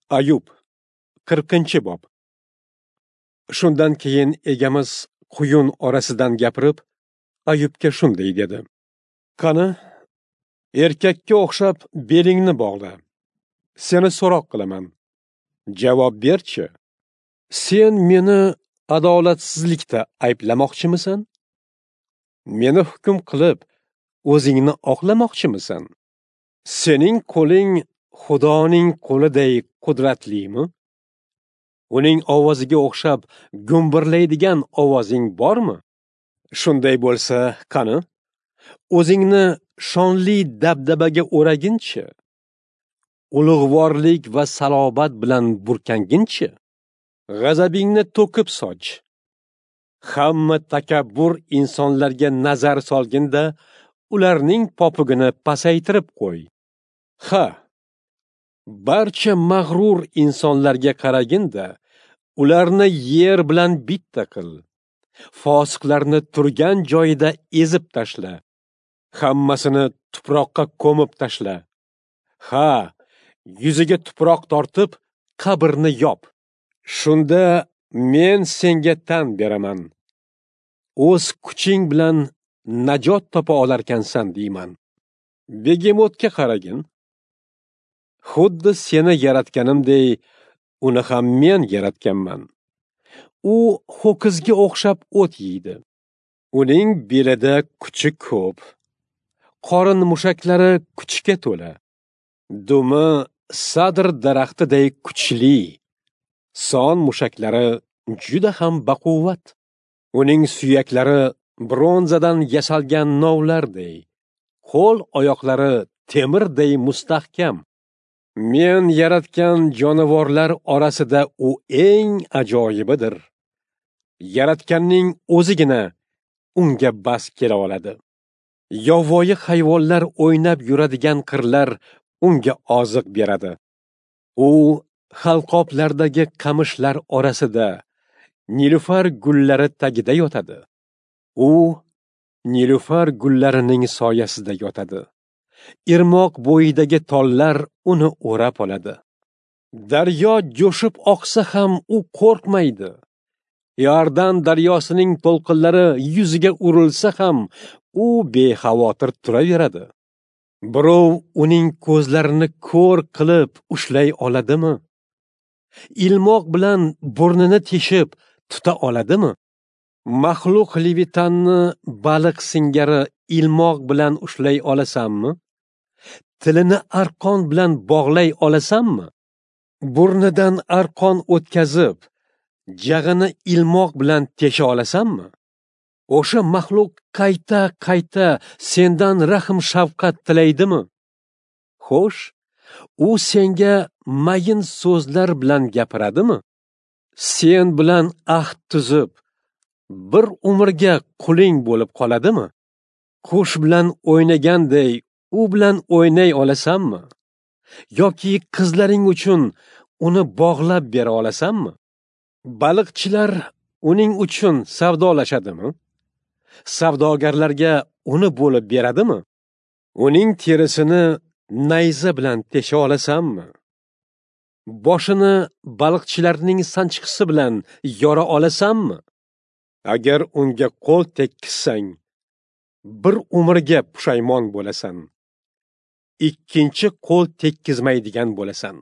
Ayub, 40-bob. Shundan keyin egamiz quyun orasidan gapirib, Ayubga shunday dedi: Qani, erkakka o'xshab belingni bog'la. Seni so'roq qilaman. Javob berchi. Sen meni adolatsizlikda ayblamoqchimisan? Meni hukm qilib, o'zingni oqlamoqchimisan? Sening qo'ling Xudoning qo'liday qudratlimi? Uning ovoziga o'xshab gumburlaydigan ovozing bormi? Shunday bo'lsa, qani, o'zingni shonli dabdabaga o'raginchi, ulug'vorlik va salobat bilan burkanginchi, g'azabingni to'kib soch. Hamma takabbur insonlarga nazar solginda, ularning popugini pasaytirib qo'y. Ha, barcha mag'rur insonlarga qaraginda, ularni yer bilan bitta qil. Fosiqlarni turgan joyida ezib tashla. Hammasini tuproqqa ko'mib tashla. Ha, yuziga tuproq tortib, qabrni yop. Shunda men senga tan beraman. O'z kuching bilan najot topa olarkansan deyman. Begemotga qaragin. Xuddi seni yaratganimdek, uni ham men yaratganman. U ho'kizga o'xshab o't yeydi. Uning belida kuchi ko'p. Qorin mushaklari kuchga to'la. Dumi sadr daraxtiday kuchli. Son mushaklari juda ham baquvvat. Uning suyaklari bronzadan yasalgan novlarday, qo'l oyoqlari temirday mustahkam. Men yaratgan jonivorlar orasida u eng ajoyibidir. Yaratganning o'zigina unga bas kela oladi. Yovvoyi hayvonlar o'ynab yuradigan qirlar unga oziq beradi. U halqoblardagi qamishlar orasida nilufar gullari tagida yotadi. U nilufar gullarining soyasida yotadi. Irmoq bo'yidagi tollar uni o'rab oladi. Daryo jo'shib oqsa ham u qo'rqmaydi. Iordan daryosining to'lqinlari yuziga urilsa ham u bexavotir turaveradi. Birov uning ko'zlarini ko'r qilib ushlay oladimi? Ilmoq bilan burnini teshib tuta oladimi? Maxluq Levitanni baliq singari ilmoq bilan ushlay olasanmi? Tilini arqon bilan bog'lay olasanmi? Burnidan arqon o'tkazib, jag'ini ilmoq bilan tesha olasanmi? O'sha maxluq qayta-qayta sendan rahm-shafqat tilaydimi? Xo'sh, u senga mayin so'zlar bilan gapiradimi? Sen bilan ahd tuzib, bir umrga quling bo'lib qoladimi? Qush bilan o'ynaganday u bilan o'ynay olasanmi? Yoki qizlaring uchun uni bog'lab bera olasanmi? Baliqchilar uning uchun savdolashadimi? Savdogarlarga uni bo'lib beradimi? Uning terisini nayza bilan tesha olasanmi? Boshini baliqchilarning sanchqisi bilan yora olasanmi? Agar unga qo'l tekkizsang, bir umrga pushaymon bo'lasan. Ikkinchi qo'l tekkizmaydigan bo'lasan.